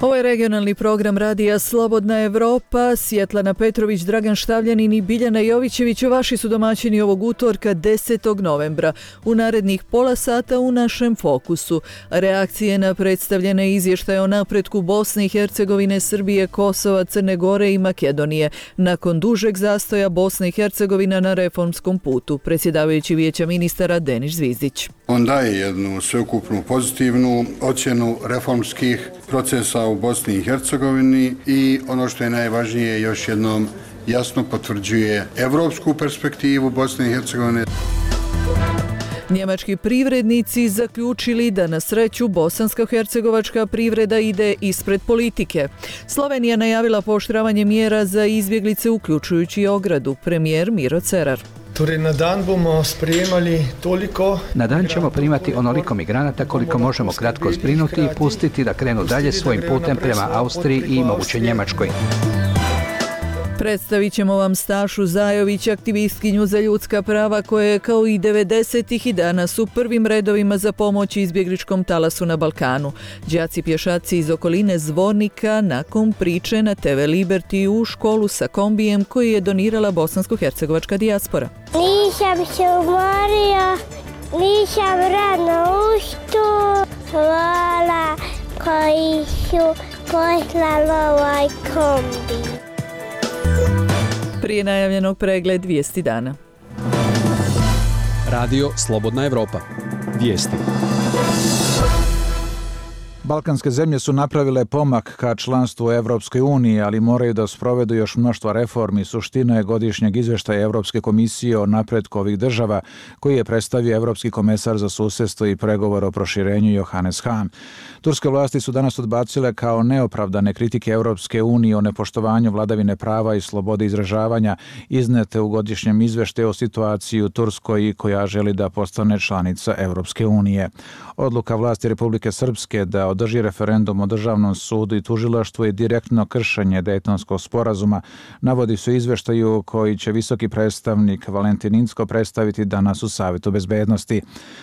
Ovo je regionalni program radija Slobodna Evropa. Svjetlana Petrović, Dragan Štavljanin i Biljana Jovićević vaši su domaćini ovog utorka 10. novembra. U narednih pola sata u našem fokusu reakcije na predstavljene izvještaje o napretku Bosne i Hercegovine, Srbije, Kosova, Crne Gore i Makedonije. Nakon dužeg zastoja Bosna i Hercegovina na reformskom putu, predsjedavajući Vijeća ministara Denis Zvizdić. On daje jednu sveukupnu pozitivnu ocjenu reformskih procesa u Bosni i Hercegovini i ono što je najvažnije, još jednom jasno potvrđuje evropsku perspektivu Bosne i Hercegovine. Njemački privrednici zaključili da na sreću bosansko-hercegovačka privreda ide ispred politike. Slovenija najavila pooštravanje mjera za izbjeglice uključujući ogradu. Premijer Miro Cerar. Na dan ćemo primati onoliko migranata koliko možemo kratko zbrinuti i pustiti da krenu dalje svojim putem prema Austriji i moguće Njemačkoj. Predstavit ćemo vam Stašu Zajović, aktivistkinju za ljudska prava koja je kao i 90-ih i danas u prvim redovima za pomoć izbjegličkom talasu na Balkanu. Đaci pješaci iz okoline Zvornika nakon priče na TV Liberty u školu sa kombijem koji je donirala bosansko-hercegovačka dijaspora. Nisam se umorio, nisam rano ustao, hvala koji su poslali ovaj kombi. Prije najavljenog pregled vijesti dana. Radio Slobodna Evropa. Vijesti. Balkanske zemlje su napravile pomak ka članstvu u Evropskoj uniji, ali moraju da sprovedu još mnoštva reformi. Suština je godišnjeg izvještaja Evropske komisije o napretku ovih država, koji je predstavio Evropski komesar za susjedstvo i pregovor o proširenju Johannes Hahn. Turske vlasti su danas odbacile kao neopravdane kritike Evropske unije o nepoštovanju vladavine prava i slobode izražavanja iznete u godišnjem izvještaju o situaciji u Turskoj koja želi da postane članica Evropske unije. Odluka vlasti Republike Srpske da održi referendum o državnom sudu i tužilaštvu je direktno kršenje Dejtonskog sporazuma, navodi se u izvještaju koji će visoki predstavnik Valentin Incko predstaviti danas u Savjetu bezbednosti.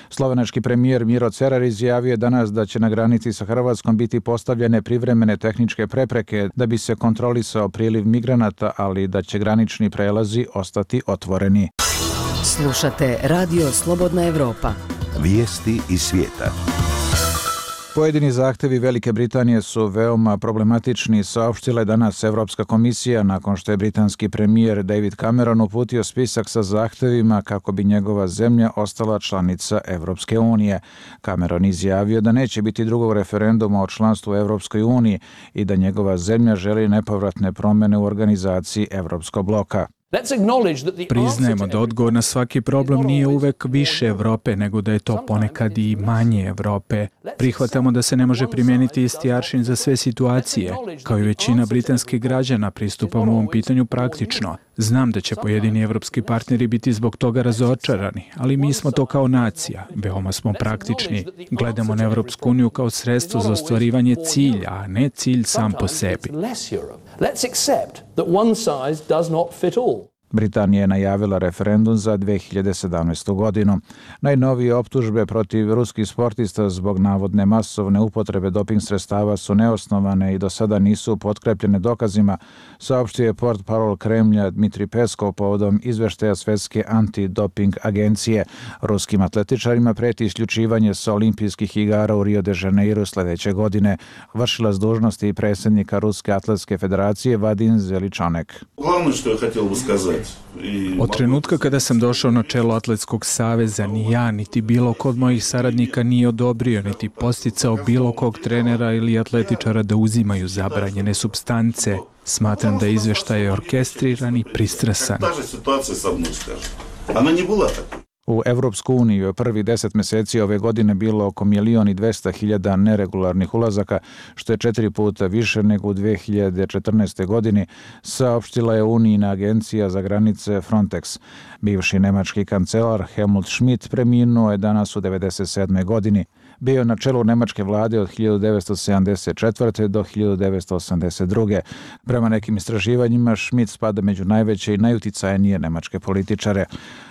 Slovenački premijer Miro Cerar izjavio danas da će na granici sa Hrvatskom biti postavljene privremene tehničke prepreke da bi se kontrolisao priliv migranata, ali da će granični prelazi ostati otvoreni. Slušate Radio Slobodna Evropa. Vijesti iz svijeta. Pojedini zahtjevi Velike Britanije su veoma problematični, saopštila je danas Evropska komisija nakon što je britanski premijer David Cameron uputio spisak sa zahtjevima kako bi njegova zemlja ostala članica Evropske unije. Cameron izjavio da neće biti drugog referenduma o članstvu u Evropskoj uniji i da njegova zemlja želi nepovratne promjene u organizaciji Evropskog bloka. Priznajemo da odgovor na svaki problem nije uvek više Evrope, nego da je to ponekad i manje Evrope. Prihvatamo da se ne može primijeniti isti aršin za sve situacije. Kao i većina britanskih građana pristupamo ovom pitanju praktično. Znam da će pojedini evropski partneri biti zbog toga razočarani, ali mi smo to kao nacija. Veoma smo praktični. Gledamo na Evropsku uniju kao sredstvo za ostvarivanje cilja, a ne cilj sam po sebi. Britanija je najavila referendum za 2017. godinu. Najnovije optužbe protiv ruskih sportista zbog navodne masovne upotrebe doping sredstava su neosnovane i do sada nisu potkrepljene dokazima, saopštio je portparol Kremlja Dmitri Peskov povodom izvještaja Svjetske antidoping agencije. Ruskim atletičarima preti isključivanje sa olimpijskih igara u Rio de Janeiro sljedeće godine. Vršilac dužnosti i predsjednika Ruske atletske federacije Vadim Zeličanek. Glavno što je htjelo ukazati. Od trenutka kada sam došao na čelo Atletskog saveza, ni ja, niti bilo kod mojih saradnika nije odobrio, niti posticao bilo kog trenera ili atletičara da uzimaju zabranjene supstance. Smatram da je izvještaj orkestriran i pristrasan. U Evropsku uniju je prvih 10 mjeseci ove godine bilo oko 1.200.000 neregularnih ulazaka, što je 4 puta više nego u 2014. godini, saopštila je Unijina agencija za granice Frontex. Bivši nemački kancelar Helmut Schmidt preminuo je danas u 97. godini. Bio je na čelu nemačke vlade od 1974. do 1982. Prema nekim istraživanjima Schmidt spada među najveće i najuticajnije nemačke političare.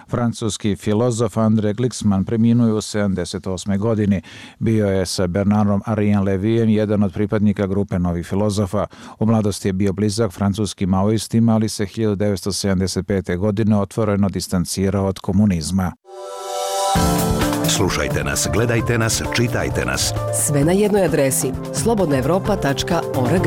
Francuski filozof André Glixman preminuo je u 78. godini. Bio je sa Bernardom Henriom Lévyem jedan od pripadnika grupe novih filozofa. U mladosti je bio blizak francuskim maoistima, ali se 1975. godine otvoreno distancirao od komunizma. Slušajte nas, gledajte nas, čitajte nas. Sve na jednoj adresi slobodnaevropa.org.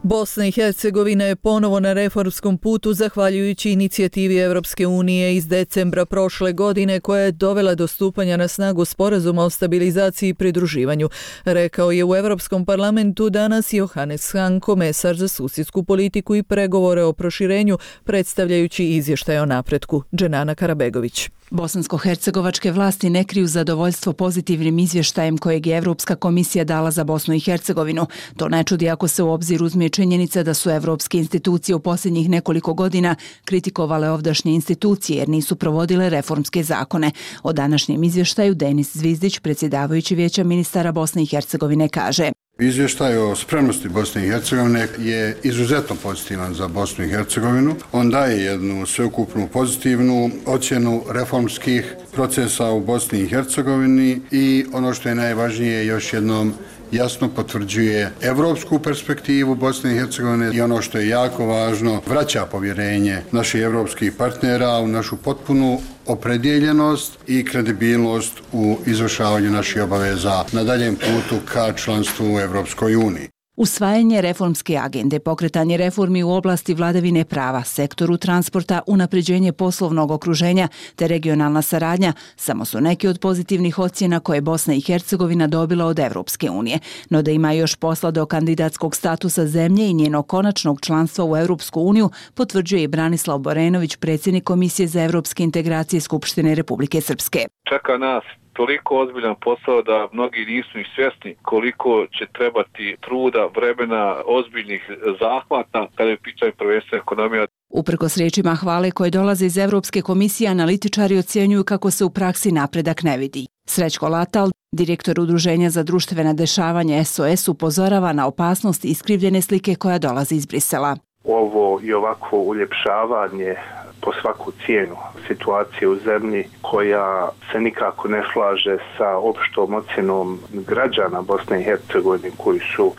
Bosna i Hercegovina je ponovo na reformskom putu zahvaljujući inicijativi Europske unije iz decembra prošle godine koja je dovela do stupanja na snagu sporazuma o stabilizaciji i pridruživanju, rekao je u Europskom parlamentu danas Johannes Hahn, komesar za susjedsku politiku i pregovore o proširenju, predstavljajući izvještaj o napretku. Dženana Karabegović. Bosansko-hercegovačke vlasti ne kriju zadovoljstvo pozitivnim izvještajem kojeg je Europska komisija dala za Bosnu i Hercegovinu. To ne čudi ako se u obzir uzme činjenica da su evropske institucije u posljednjih nekoliko godina kritikovale ovdašnje institucije jer nisu provodile reformske zakone. O današnjem izvještaju Denis Zvizdić, predsjedavajući Vijeća ministara Bosne i Hercegovine, kaže: Izvještaj o spremnosti Bosne i Hercegovine je izuzetno pozitivan za Bosnu i Hercegovinu. On daje jednu sveukupnu pozitivnu ocjenu reformskih procesa u Bosni i Hercegovini i ono što je najvažnije, još jednom jasno potvrđuje evropsku perspektivu Bosne i Hercegovine i ono što je jako važno, vraća povjerenje naših evropskih partnera u našu potpunu opredjeljenost i kredibilnost u izvršavanju naših obaveza na daljem putu ka članstvu u Evropskoj uniji. Usvajanje reformske agende, pokretanje reformi u oblasti vladavine prava, sektoru transporta, unapređenje poslovnog okruženja te regionalna saradnja samo su neki od pozitivnih ocjena koje Bosna i Hercegovina dobila od Evropske unije. No da ima još posla do kandidatskog statusa zemlje i njenog konačnog članstva u Evropsku uniju, potvrđuje i Branislav Borenović, predsjednik Komisije za evropske integracije Skupštine Republike Srpske. Čeka nas toliko ozbiljan posao da mnogi nisu ni svjesni koliko će trebati truda, vremena, ozbiljnih zahvata kada je pitanje prvenstveno ekonomija. Uprkos riječima hvale koje dolaze iz Evropske komisije, analitičari ocjenjuju kako se u praksi napredak ne vidi. Srećko Latal, direktor Udruženja za društvena dešavanja SOS, upozorava na opasnost iskrivljene slike koja dolazi iz Brisela. Ovo i ovako uljepšavanje po svaku cijenu situacije u zemlji koja se nikako ne slaže sa opštom ocjenom građana Bosne i Hercegovine koji su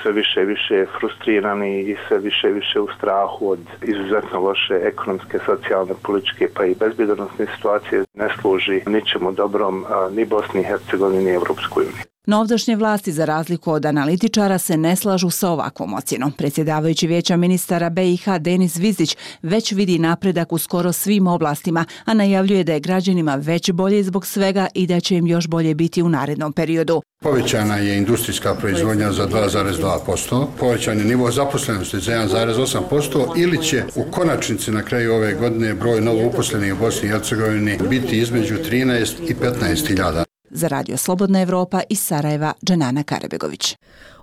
sve više i više frustrirani i sve više i više u strahu od izuzetno loše ekonomske, socijalne, političke pa i bezbjednosne situacije, ne služi ničemu dobrom ni Bosni i Hercegovini ni Evropskoj uniji. No ovdašnje vlasti, za razliku od analitičara, se ne slažu sa ovakvom ocjenom. Predsjedavajući Vijeća ministara BiH Denis Zvizdić već vidi napredak u skoro svim oblastima, a najavljuje da je građanima već bolje zbog svega i da će im još bolje biti u narednom periodu. Povećana je industrijska proizvodnja za 2,2%, povećan je nivo zaposlenosti za 1,8% ili će u konačnici na kraju ove godine broj novo uposlenih u Bosni i Hercegovini biti između 13 i 15.000. Za Radio Slobodna Evropa iz Sarajeva, Dženana Karabegović.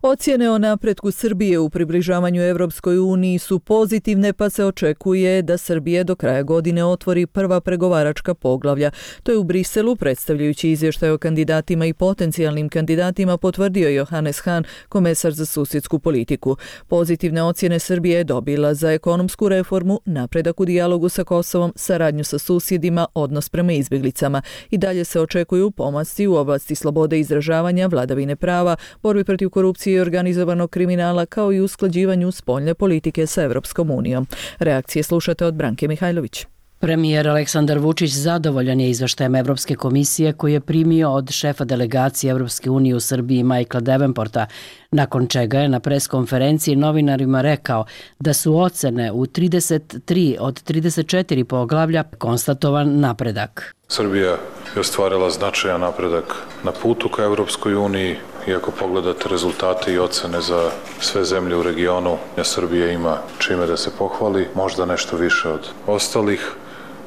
Ocjene o napretku Srbije u približavanju Evropskoj uniji su pozitivne, pa se očekuje da Srbija do kraja godine otvori prva pregovaračka poglavlja. To je u Briselu, predstavljajući izvještaj o kandidatima i potencijalnim kandidatima, potvrdio Johannes Hahn, komesar za susjedsku politiku. Pozitivne ocjene Srbije je dobila za ekonomsku reformu, napredak u dijalogu sa Kosovom, saradnju sa susjedima, odnos prema izbjeglicama. I dalje se očekuju pomaci u oblasti slobode izražavanja, vladavine prava, borbi protiv korupcije i organizovanog kriminala, kao i usklađivanju spoljne politike sa Evropskom unijom. Reakcije slušate od Branke Mihajlović. Premijer Aleksandar Vučić zadovoljan je izveštajem Evropske komisije koji je primio od šefa delegacije Evropske unije u Srbiji Michaela Davenporta, nakon čega je na preskonferenciji novinarima rekao da su ocene u 33 od 34 poglavlja konstatovan napredak. Srbija je ostvarila značajan napredak na putu ka Evropskoj uniji. I ako pogledate rezultate i ocene za sve zemlje u regionu, Srbija ima čime da se pohvali, možda nešto više od ostalih.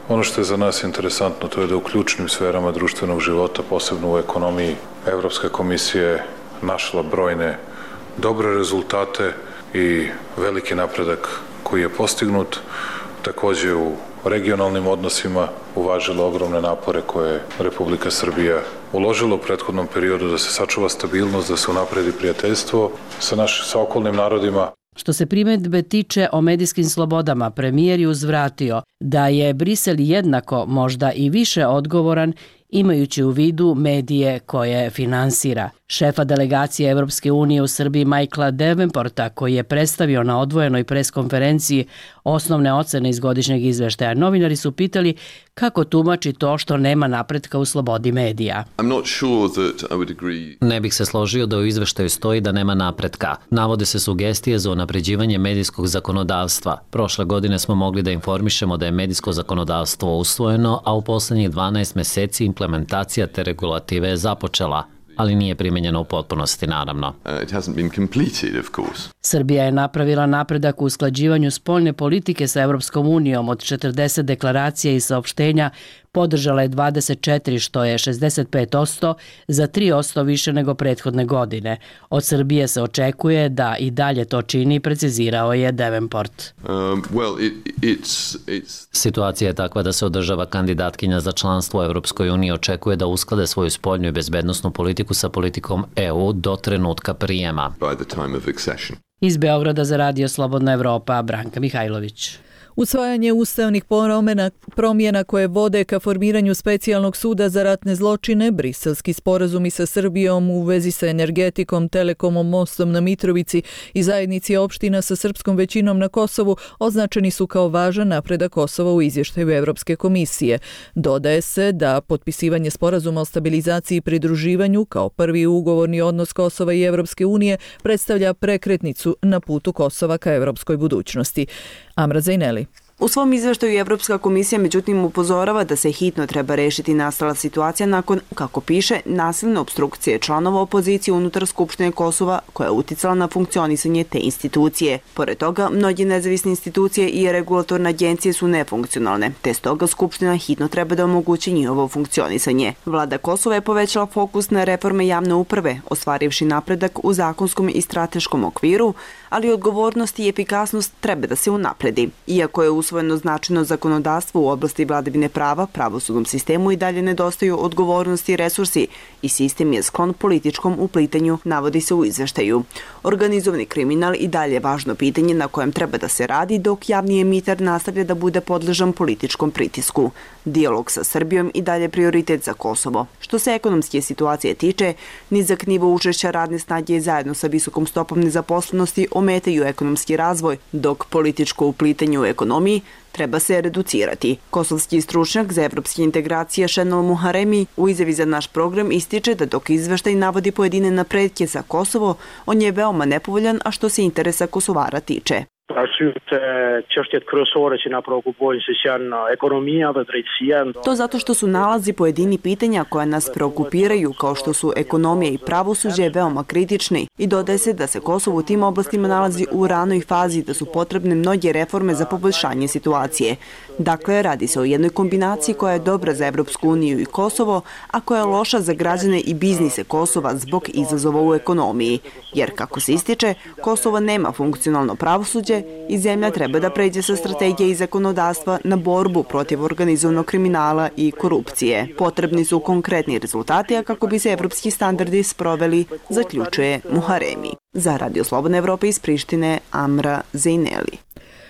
Ono što je za nas interesantno, to je da u ključnim sferama društvenog života, posebno u ekonomiji, Evropska komisija je našla brojne dobre rezultate i veliki napredak koji je postignut. Također u regionalnim odnosima uvažila ogromne napore koje Republika Srbija uložila u prethodnom periodu da se sačuva stabilnost, da se unapredi prijateljstvo sa okolnim narodima. Što se primjedbe tiče o medijskim slobodama, premijer je uzvratio da je Brisel jednako, možda i više odgovoran, imajući u vidu medije koje finansira. Šefa delegacije Evropske unije u Srbiji Michaela Davenporta, koji je predstavio na odvojenoj preskonferenciji osnovne ocene iz godišnjeg izveštaja, novinari su pitali kako tumači to što nema napretka u slobodi medija. Ne bih se složio da u izveštaju stoji da nema napretka. Navode se sugestije za unapređivanje medijskog zakonodavstva. Prošle godine smo mogli da informišemo da je medijsko zakonodavstvo usvojeno, a u poslednjih 12 meseci implementacija te regulative je započela, ali nije primenjeno u potpunosti, naravno. Srbija je napravila napredak u usklađivanju spoljne politike sa Evropskom unijom. Od 40 deklaracija i saopštenja podržala je 24, što je 65%, za 3% više nego prethodne godine. Od Srbije se očekuje da i dalje to čini, precizirao je Davenport. Situacija je takva da se održava kandidatkinja za članstvo u Evropskoj uniji očekuje da usklade svoju spoljnu i bezbednosnu politiku sa politikom EU do trenutka prijema. Iz Beograda za Radio Slobodna Evropa, Branka Mihajlović. Usvajanje ustavnih promjena koje vode ka formiranju specijalnog suda za ratne zločine, briselski sporazumi sa Srbijom u vezi sa energetikom, telekomom, mostom na Mitrovici i zajednici opština sa srpskom većinom na Kosovu označeni su kao važan napredak Kosova u izvještaju Evropske komisije. Dodaje se da potpisivanje sporazuma o stabilizaciji i pridruživanju kao prvi ugovorni odnos Kosova i Evropske unije predstavlja prekretnicu na putu Kosova ka evropskoj budućnosti. Amra Zajneli. U svom izveštaju Evropska komisija međutim upozorava da se hitno treba rešiti nastala situacija nakon, kako piše, nasilne opstrukcije članova opozicije unutar Skupštine Kosova koja je uticala na funkcionisanje te institucije. Pored toga, mnoge nezavisne institucije i regulatorne agencije su nefunkcionalne, te stoga Skupština hitno treba da omogući njihovo funkcionisanje. Vlada Kosova je povećala fokus na reforme javne uprave, ostvarivši napredak u zakonskom i strateškom okviru, ali odgovornost i efikasnost treba da se unapredi. Iako je usvojeno značajno zakonodavstvo u oblasti vladavine prava, pravosudnom sistemu i dalje nedostaju odgovornosti i resursi i sistem je sklon političkom uplitanju, navodi se u izveštaju. Organizovani kriminal i dalje je važno pitanje na kojem treba da se radi, dok javni emiter nastavlja da bude podležan političkom pritisku. Dijalog sa Srbijom i dalje prioritet za Kosovo. Što se ekonomske situacije tiče, nizak nivo učešća radne snage zajedno sa visokom stopom nezaposlenosti ometaju ekonomski razvoj, dok političko uplitanje u ekonomiji treba se reducirati. Kosovski stručnjak za evropske integracije Šenol Muharemi u izjavi za naš program ističe da dok izveštaj navodi pojedine napretke za Kosovo, on je veoma nepovoljan, a što se interesa Kosovara tiče. To zato što su nalazi pojedini pitanja koja nas preokupiraju, kao što su ekonomija i pravosuđe, veoma kritični i dodaje se da se Kosovo u tim oblastima nalazi u ranoj fazi i da su potrebne mnoge reforme za poboljšanje situacije. Dakle, radi se o jednoj kombinaciji koja je dobra za Evropsku uniju i Kosovo, a koja je loša za građane i biznise Kosova zbog izazova u ekonomiji. Jer, kako se ističe, Kosovo nema funkcionalno pravosuđe i zemlja treba da pređe sa strategije i zakonodavstva na borbu protiv organizovanog kriminala i korupcije. Potrebni su konkretni rezultati, a kako bi se evropski standardi sproveli, zaključuje Muharemi. Za Radio Slobodna Evropa iz Prištine, Amra Zajneli.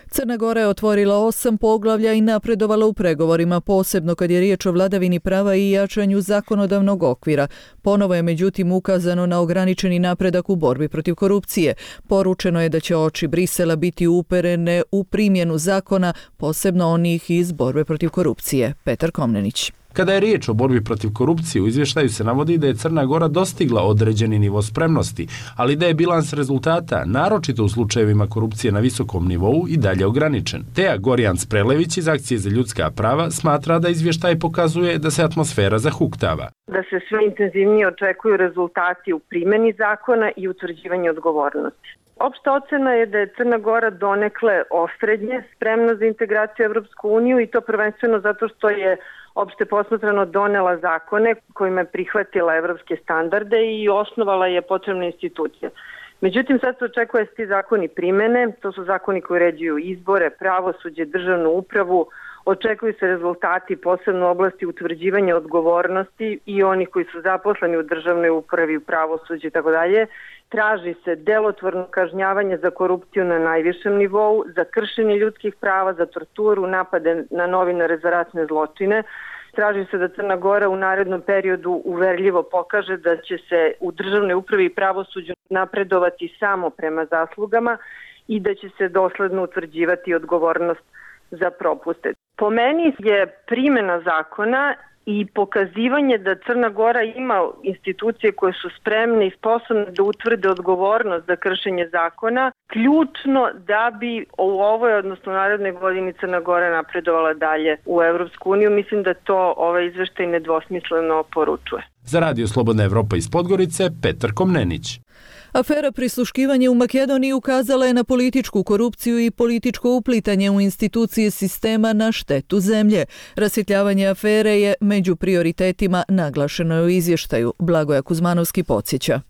Crna Gora je otvorila 8 poglavlja i napredovala u pregovorima, posebno kad je riječ o vladavini prava i jačanju zakonodavnog okvira. Ponovo je međutim ukazano na ograničeni napredak u borbi protiv korupcije. Poručeno je da će oči Brisela biti uperene u primjenu zakona, posebno onih iz borbe protiv korupcije. Petar Komnenić. Kada je riječ o borbi protiv korupcije, u izvještaju se navodi da je Crna Gora dostigla određeni nivo spremnosti, ali da je bilans rezultata, naročito u slučajevima korupcije na visokom nivou, i dalje ograničen. Teja Gorjans-Prelević iz Akcije za ljudska prava smatra da izvještaj pokazuje da se atmosfera zahuktava. Da se sve intenzivnije očekuju rezultati u primjeni zakona i utvrđivanju odgovornosti. Opšta ocena je da je Crna Gora donekle osrednje spremna za integraciju u Evropsku uniju i to prvenstveno zato što je opšte posmatrano donela zakone kojima je prihvatila evropske standarde i osnovala je potrebne institucije. Međutim, sad se očekuje da se ti zakoni primene, to su zakoni koji uređuju izbore, pravosuđe, državnu upravu, Očekuju se rezultati posebno u oblasti utvrđivanja odgovornosti i onih koji su zaposleni u državnoj upravi, u pravosuđu i tako dalje. Traži se delotvorno kažnjavanje za korupciju na najvišem nivou, za kršenje ljudskih prava, za torturu, napade na novinare, za ratne zločine. Traži se da Crna Gora u narednom periodu uverljivo pokaže da će se u državnoj upravi i pravosuđu napredovati samo prema zaslugama i da će se dosledno utvrđivati odgovornost za propuste. Po meni je primjena zakona i pokazivanje da Crna Gora ima institucije koje su spremne i sposobne da utvrde odgovornost za kršenje zakona, ključno da bi u ovoj, odnosno narednoj godini, Crna Gora napredovala dalje u Evropsku uniju. Mislim da to ovaj izveštaj nedvosmisleno poručuje. Za Radio Slobodna Evropa iz Podgorice, Petar Komnenić. Afera prisluškivanje u Makedoniji ukazala je na političku korupciju i političko uplitanje u institucije sistema na štetu zemlje. Rasvjetljavanje afere je među prioritetima, naglašeno je u izvještaju. Blagoja Kuzmanovski podsjeća.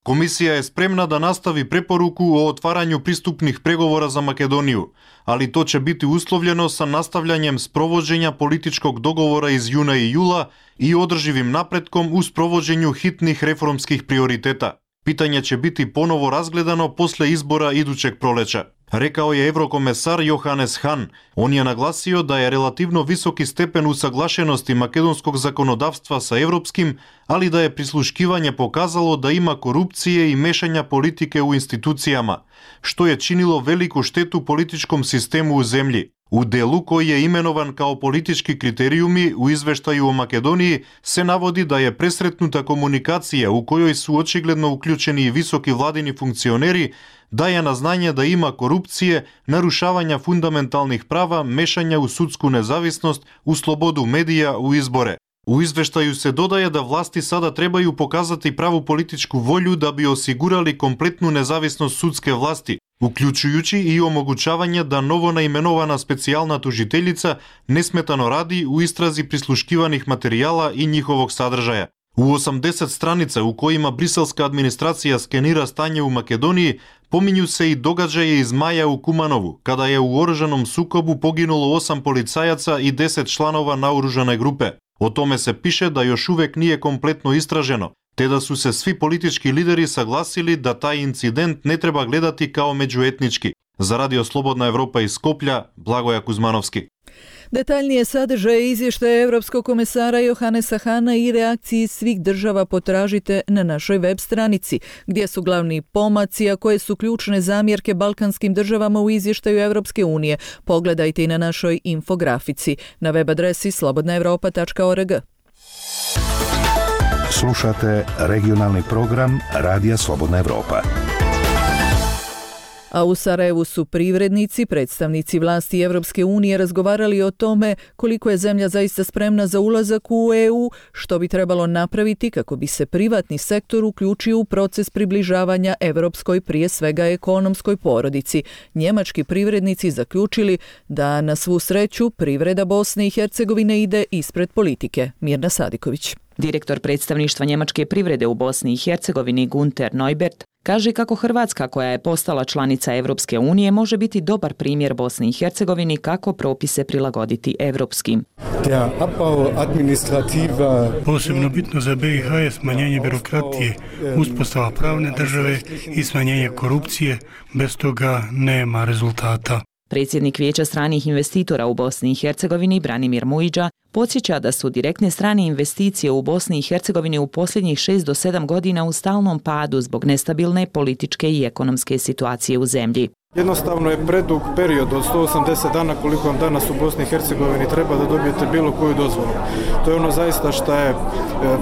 Komisija je spremna da nastavi preporuku o otvaranju pristupnih pregovora za Makedoniju, ali to će biti uslovljeno sa nastavljanjem sprovođenja političkog dogovora iz juna i jula i održivim napretkom u sprovođenju hitnih reformskih prioriteta. Pitanje će biti ponovo razgledano posle izbora idućeg proleća, rekao je evrokomesar Johannes Hahn. On je naglasio da je relativno visoki stepen usaglašenosti makedonskog zakonodavstva sa evropskim, ali da je prisluškivanje pokazalo da ima korupcije i mešanja politike u institucijama, što je činilo veliku štetu političkom sistemu u zemlji. U delu koji je imenovan kao politički kriterijumi u izveštaju o Makedoniji se navodi da je presretnuta komunikacija u kojoj su očigledno uključeni i visoki vladini funkcioneri, daje na znanje da ima korupcije, narušavanja fundamentalnih prava, mešanja u sudsku nezavisnost, u slobodu medija, u izbore. U izveštaju se dodaje da vlasti sada trebaju pokazati pravu političku volju da bi osigurali kompletnu nezavisnost sudske vlasti, uključujući i omogućavanje da novo naimenovana specijalna tužiteljica nesmetano radi u istrazi prisluškivanih materijala i njihovog sadržaja. U 80 stranica u kojima briselska administracija skenira stanje u Makedoniji, pominju se i događaje iz maja u Kumanovu, kada je u oružanom sukobu poginulo 8 policajaca i 10 članova naoružane grupe. O tome se piše da još uvek nije kompletno istraženo, te da su se svi politički lideri saglasili da taj incident ne treba gledati kao međuetnički. Za Radio Slobodna Evropa iz Skoplja, Blagoja Kuzmanovski. Detaljnije sadržaje izvještaja Evropskog komesara Johannesa Hahna i reakciji svih država potražite na našoj web stranici, gdje su glavni pomaci, a koje su ključne zamjerke balkanskim državama u izvještaju Evropske unije. Pogledajte i na našoj infografici na web adresi slobodnaevropa.org. Slušate regionalni program Radija Slobodna Evropa. A u Sarajevu su privrednici, predstavnici vlasti Evropske unije razgovarali o tome koliko je zemlja zaista spremna za ulazak u EU, što bi trebalo napraviti kako bi se privatni sektor uključio u proces približavanja evropskoj, prije svega ekonomskoj porodici. Njemački privrednici zaključili da na svu sreću privreda Bosne i Hercegovine ide ispred politike. Mirna Sadiković. Direktor predstavništva njemačke privrede u Bosni i Hercegovini Gunter Neubert kaže kako Hrvatska, koja je postala članica Evropske unije, može biti dobar primjer Bosni i Hercegovini kako propise prilagoditi evropskim. Posebno bitno za BiH je smanjenje birokratije, uspostava pravne države i smanjenje korupcije. Bez toga nema rezultata. Predsjednik Vijeća stranih investitora u Bosni i Hercegovini Branimir Mujiđa podsjeća da su direktne strane investicije u Bosni i Hercegovini u posljednjih 6 do 7 godina u stalnom padu zbog nestabilne političke i ekonomske situacije u zemlji. Jednostavno je predug period od 180 dana koliko vam danas u Bosni i Hercegovini treba da dobijete bilo koju dozvolu. To je ono zaista što je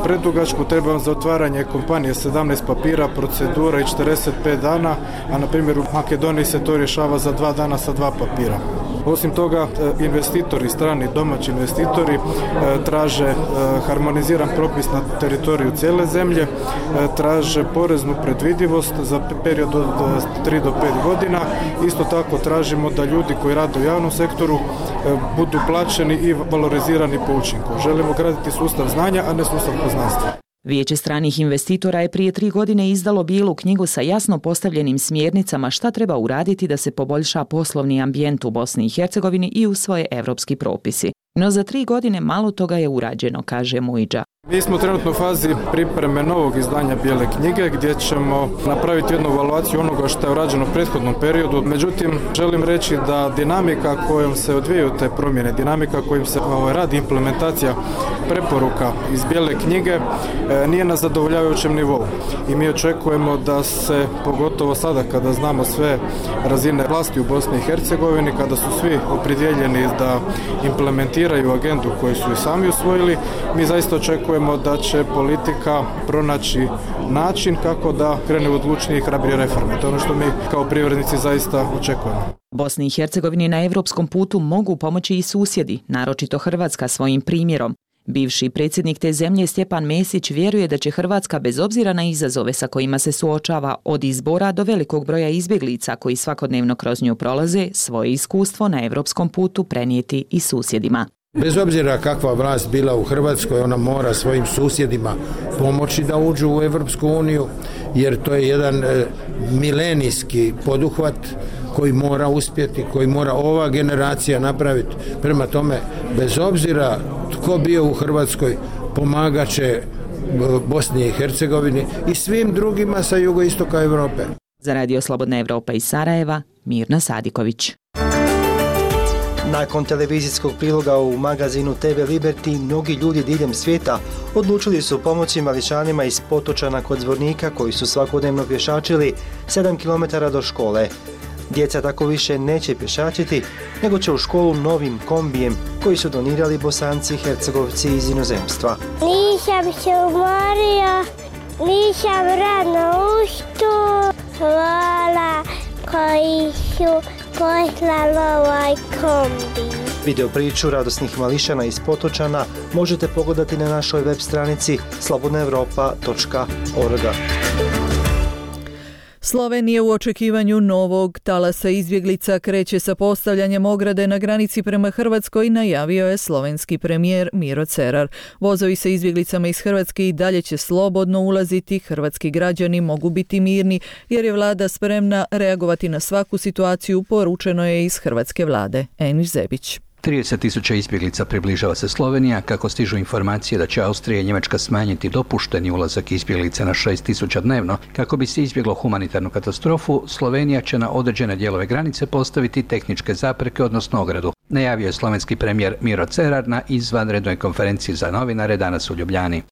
predugačko, treba vam za otvaranje kompanije 17 papira, procedura i 45 dana, a na primjer u Makedoniji se to rješava za 2 dana sa 2 papira. Osim toga, investitori, strani domaći investitori traže harmoniziran propis na teritoriju cijele zemlje, traže poreznu predvidivost za period od 3 do 5 godina. Isto tako tražimo da ljudi koji rade u javnom sektoru budu plaćeni i valorizirani po učinku. Želimo graditi sustav znanja, a ne sustav poznanstva. Vijeće stranih investitora je prije 3 godine izdalo bijelu knjigu sa jasno postavljenim smjernicama šta treba uraditi da se poboljša poslovni ambijent u Bosni i Hercegovini i usvoje evropski propisi. No za 3 godine malo toga je urađeno, kaže Mujiđa. Mi smo trenutno u fazi pripreme novog izdanja bijele knjige gdje ćemo napraviti jednu evaluaciju onoga što je urađeno u prethodnom periodu. Međutim, želim reći da dinamika kojom se odvijaju te promjene, dinamika kojim se radi implementacija preporuka iz bijele knjige nije na zadovoljavajućem nivou. I mi očekujemo da se, pogotovo sada kada znamo sve razine vlasti u Bosni i Hercegovini, kada su svi opredjeljeni da implementiraju agendu koju su i sami usvojili, mi zaista očekujemo da će politika pronaći način kako da krene u odlučnije i hrabrije reforme. To je ono što mi kao privrednici zaista očekujemo. Bosni i Hercegovini na evropskom putu mogu pomoći i susjedi, naročito Hrvatska svojim primjerom. Bivši predsjednik te zemlje Stjepan Mesić vjeruje da će Hrvatska bez obzira na izazove sa kojima se suočava od izbora do velikog broja izbjeglica koji svakodnevno kroz nju prolaze, svoje iskustvo na evropskom putu prenijeti i susjedima. Bez obzira kakva vlast bila u Hrvatskoj, ona mora svojim susjedima pomoći da uđu u Evropsku uniju, jer to je jedan milenijski poduhvat koji mora uspjeti, koji mora ova generacija napraviti. Prema tome, bez obzira tko bio u Hrvatskoj, pomagat će Bosni i Hercegovini i svim drugima sa jugoistoka Europe. Za Radio Slobodna Evropa iz Sarajeva, Mirna Sadiković. Nakon televizijskog priloga u magazinu TV Liberty, mnogi ljudi diljem svijeta odlučili su pomoći mališanima iz Potočana kod Zvornika koji su svakodnevno pješačili 7 km do škole. Djeca tako više neće pješačiti, nego će u školu novim kombijem koji su donirali Bosanci i Hercegovci iz inozemstva. Nisam se umorio, nisam rano ustao, hvala koji su poslali ovaj kombi. Video priču radosnih mališana iz Potočana možete pogledati na našoj web stranici slobodnaevropa.org. Slovenija u očekivanju novog talasa izbjeglica kreće sa postavljanjem ograde na granici prema Hrvatskoj, najavio je slovenski premijer Miro Cerar. Vozovi sa izbjeglicama iz Hrvatske i dalje će slobodno ulaziti, hrvatski građani mogu biti mirni jer je vlada spremna reagovati na svaku situaciju, poručeno je iz hrvatske vlade. Enis Zebić. 30.000 izbjeglica približava se Slovenija, kako stižu informacije da će Austrija i Njemačka smanjiti dopušteni ulazak izbjeglica na 6.000 dnevno. Kako bi se izbjeglo humanitarnu katastrofu, Slovenija će na određene dijelove granice postaviti tehničke zapreke, odnosno ogradu. Najavio je slovenski premijer Miro Cerar na izvanrednoj konferenciji za novinare danas u Ljubljani.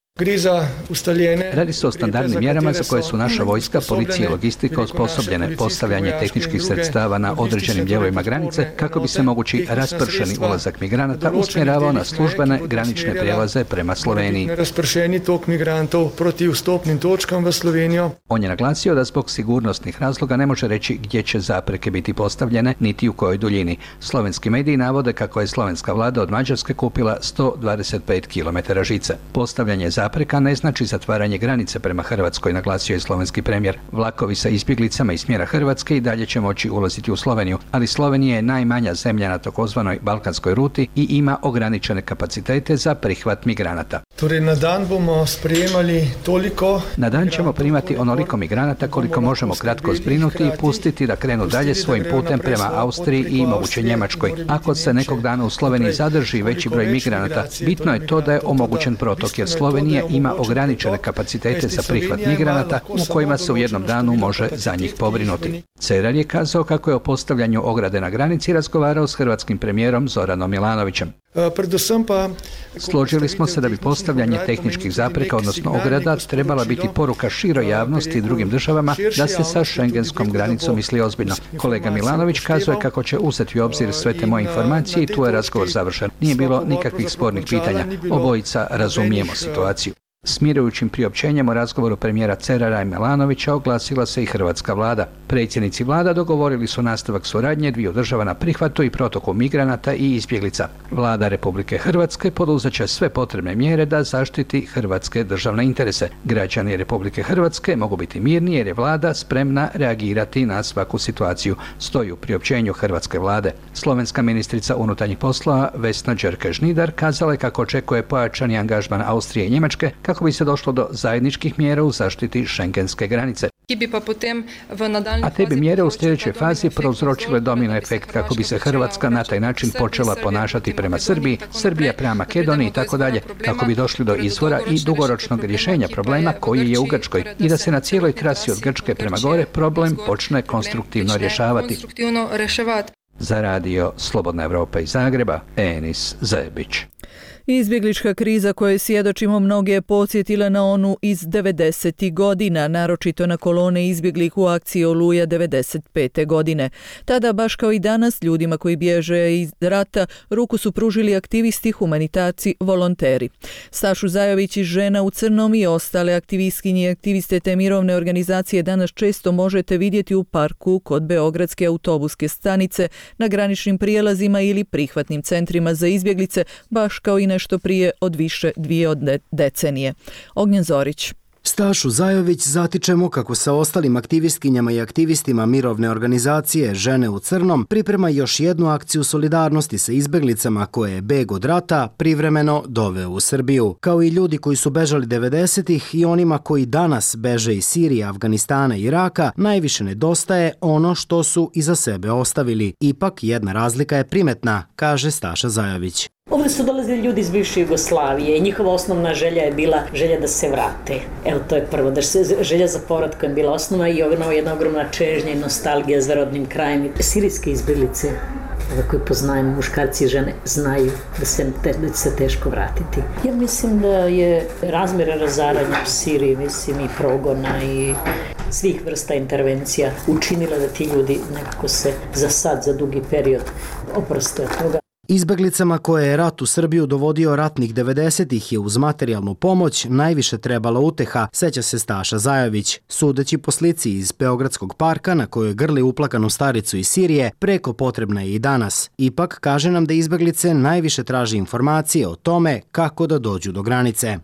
Radi se o standardnim mjerama za koje su naša vojska, policija i logistika osposobljene. Postavljanje tehničkih sredstava na određenim dijelovima granice kako bi se mogući raspršeni ulazak migranata usmjeravao na službene granične prijelaze prema Sloveniji. On je naglasio da zbog sigurnosnih razloga ne može reći gdje će zapreke biti postavljene niti u kojoj duljini. Slovenski mediji navode kako je slovenska vlada od Mađarske kupila 125 km žice. Postavljanje zapreka ne znači zatvaranje granice prema Hrvatskoj, naglasio je slovenski premijer. Vlakovi sa izbjeglicama iz smjera Hrvatske i dalje će moći ulaziti u Sloveniju, ali Slovenija je najmanja zemlja na takozvanoj balkanskoj ruti i ima ograničene kapacitete za prihvat migranata. Na dan ćemo primati onoliko migranata koliko možemo kratko zbrinuti i pustiti da krenu dalje svojim putem prema Austriji i moguće Njemačkoj. Ako se nekog dana u Sloveniji zadrži veći broj migranata, bitno je to da je omogućen protok, jer Slovenija ima ograničene kapacitete za prihvat migranata u kojima se u jednom danu može za njih pobrinuti. Cerar je kazao kako je o postavljanju ograde na granici razgovarao s hrvatskim premijerom Zoranom Milanovićem. Složili smo se da bi postavljanje tehničkih zapreka, odnosno ograda, trebala biti poruka široj javnosti i drugim državama da se sa šengenskom granicom misli ozbiljno. Kolega Milanović kazuje kako će uzeti u obzir sve te moje informacije i tu je razgovor završen. Nije bilo nikakvih spornih pitanja. Obojica razumijemo situaciju. Smirujućim priopćenjem o razgovoru premijera Cerara i Milanovića oglasila se i hrvatska vlada. Predsjednici vlada dogovorili su nastavak suradnje dviju država na prihvatu i protoku migranata i izbjeglica. Vlada Republike Hrvatske poduzet će sve potrebne mjere da zaštiti hrvatske državne interese. Građani Republike Hrvatske mogu biti mirni jer je vlada spremna reagirati na svaku situaciju, stoji u priopćenju hrvatske vlade. Slovenska ministrica unutarnjih poslova Vesna Đerke-Žnidar kazala je kako očekuje pojačani angažman Austrije i Njemačke kako bi se došlo do zajedničkih mjera u zaštiti šengenske granice. A te bi mjere u sljedećoj fazi prouzročile domino efekt kako bi se Hrvatska na taj način počela ponašati prema Srbiji, Srbija prema Makedoniji i tako dalje, kako bi došli do izvora i dugoročnog rješenja problema koji je u Grčkoj i da se na cijeloj trasi od Grčke prema gore problem počne konstruktivno rješavati. Za radio Slobodna Evropa iz Zagreba, Enis Zebić. Izbjeglička kriza koje svjedočimo mnoge je podsjetila na onu iz 90. godina, naročito na kolone izbjeglih u akciji Oluja 95. godine. Tada, baš kao i danas, ljudima koji bježe iz rata, ruku su pružili aktivisti, humanitarci, volonteri. Stašu Zajović iz Žena u crnom i ostale aktivistkinje i aktiviste te mirovne organizacije danas često možete vidjeti u parku kod Beogradske autobuske stanice, na graničnim prijelazima ili prihvatnim centrima za izbjeglice, baš kao i nešto prije od više dvije decenije. Ognjen Zorić. Stašu Zajović zatičemo kako sa ostalim aktivistkinjama i aktivistima mirovne organizacije Žene u crnom priprema još jednu akciju solidarnosti sa izbjeglicama koje je beg od rata privremeno doveo u Srbiju. Kao i ljudi koji su bežali 90-ih i onima koji danas beže iz Sirije, Afganistana i Iraka, najviše nedostaje ono što su iza sebe ostavili. Ipak jedna razlika je primetna, kaže Staša Zajović. Ovdje su dolazili ljudi iz bivše Jugoslavije i njihova osnovna želja je bila želja da se vrate. Evo, to je prvo, želja za povratkom je bila osnova i jedna ogromna čežnja i nostalgija za rodnim krajem. Sirijske izbjeglice, koje poznajemo, muškarci i žene, znaju da će se teško vratiti. Ja mislim da je razmjera razaranja u Siriji, mislim, i progona i svih vrsta intervencija učinila da ti ljudi nekako se za sad, za dugi period oproste od toga. Izbjeglicama koje je rat u Srbiju dovodio ratnih 90-ih je uz materijalnu pomoć najviše trebala uteha, seća se Staša Zajović. Sudeći po slici iz Beogradskog parka na kojoj grli uplakanu staricu iz Sirije, preko potrebna je i danas. Ipak kaže nam da izbjeglice najviše traži informacije o tome kako da dođu do granice.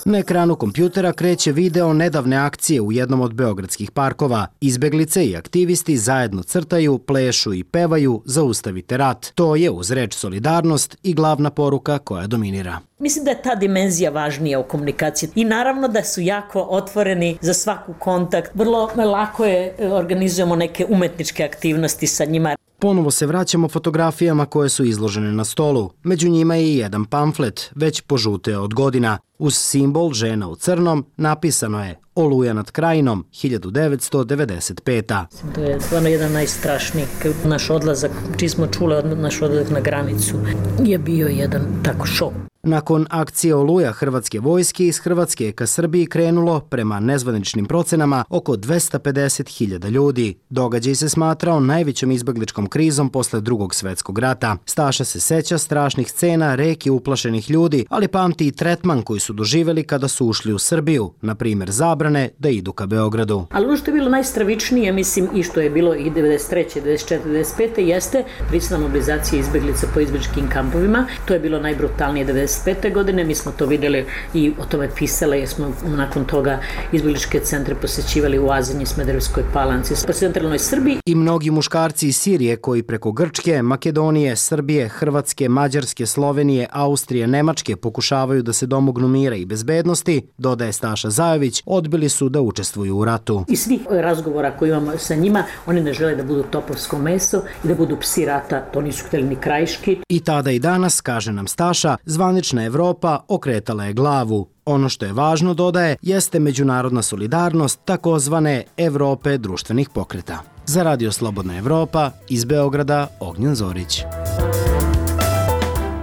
Na ekranu kompjutera kreće video nedavne akcije u jednom od beogradskih parkova. Izbjeglice i aktivisti zajedno crtaju, plešu i pevaju Zaustavite rat. To je uz reč solidarnost i glavna poruka koja dominira. Mislim da je ta dimenzija važnija u komunikaciji i naravno da su jako otvoreni za svaku kontakt. Vrlo lako je organizujemo neke umetničke aktivnosti sa njima. Ponovo se vraćamo fotografijama koje su izložene na stolu. Među njima je i jedan pamflet, već požuteo od godina. Uz simbol Žena u crnom napisano je Oluja nad Krajinom 1995. To je stvarno jedan najstrašniji. Naš odlazak, čiji smo čuli naš odlazak na granicu, je bio jedan tako šok. Nakon akcije Oluja Hrvatske vojske iz Hrvatske je ka Srbiji krenulo, prema nezvaničnim procenama, oko 250.000 ljudi. Događaj se smatrao najvećom izbjegličkom krizom posle Drugog svjetskog rata. Staša se seća strašnih scena, reki uplašenih ljudi, ali pamti i tretman koji su doživjeli kada su ušli u Srbiju, na primjer zabrane da idu ka Beogradu. Ali ono što je bilo najstravičnije, mislim, i što je bilo i 93. 94. 95. jeste prisilna mobilizacija izbjeglica po izbjegličkim kampovima. To je bilo najbrutalnije 95. godine, mi smo to vidjeli i o tome pisali, jer smo nakon toga izbjegličke centre posjećivali u Azinji, Smederevskoj Palanci, po centralnoj Srbiji. I mnogi muškarci iz Sirije koji preko Grčke, Makedonije, Srbije, Hrvatske, Mađarske, Slovenije, Austrije, Nemačke pokušavaju da se domognu mira i bezbednosti, dodaje Staša Zajović, odbili su da učestvuju u ratu. I svih razgovora koji imamo sa njima, oni ne žele da budu topovsko meso i da budu psi rata, to nisu htjeli ni krajiški. I tada i danas, kaže nam Staša, zvanična Evropa okretala je glavu. Ono što je važno, dodaje, jeste međunarodna solidarnost takozvane Evrope društvenih pokreta. Za Radio Slobodna Evropa, iz Beograda, Ognjen Zorić.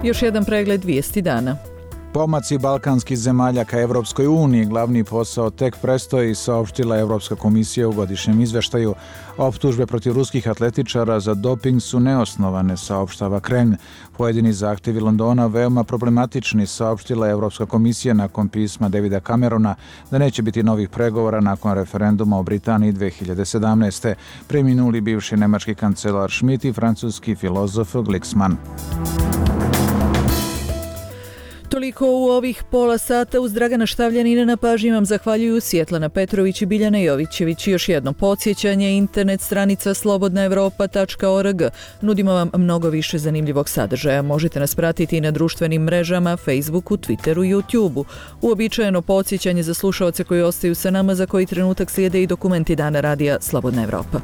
Još jedan pregled vijesti dana. Pomaci balkanskih zemalja ka Evropskoj uniji glavni posao tek prestoji, saopštila Evropska komisija u godišnjem izveštaju. Optužbe protiv ruskih atletičara za doping su neosnovane, saopštava Kremlj. Pojedini zahtjevi Londona veoma problematični, saopštila Evropska komisija nakon pisma Davida Camerona da neće biti novih pregovora nakon referenduma o Britaniji 2017. Preminuli bivši nemački kancelar Schmidt i francuski filozof Glicksmann. Toliko u ovih pola sata. Uz Dragana Štavljanina na pažnji vam zahvaljuju Svjetlana Petrović i Biljana Jovićević. Još jedno podsjećanje, internet stranica slobodnaevropa.org. Nudimo vam mnogo više zanimljivog sadržaja. Možete nas pratiti i na društvenim mrežama, Facebooku, Twitteru i YouTubeu. Uobičajeno podsjećanje za slušaoce koji ostaju sa nama, za koji trenutak slijede i dokumenti Dana radija Slobodna Evropa.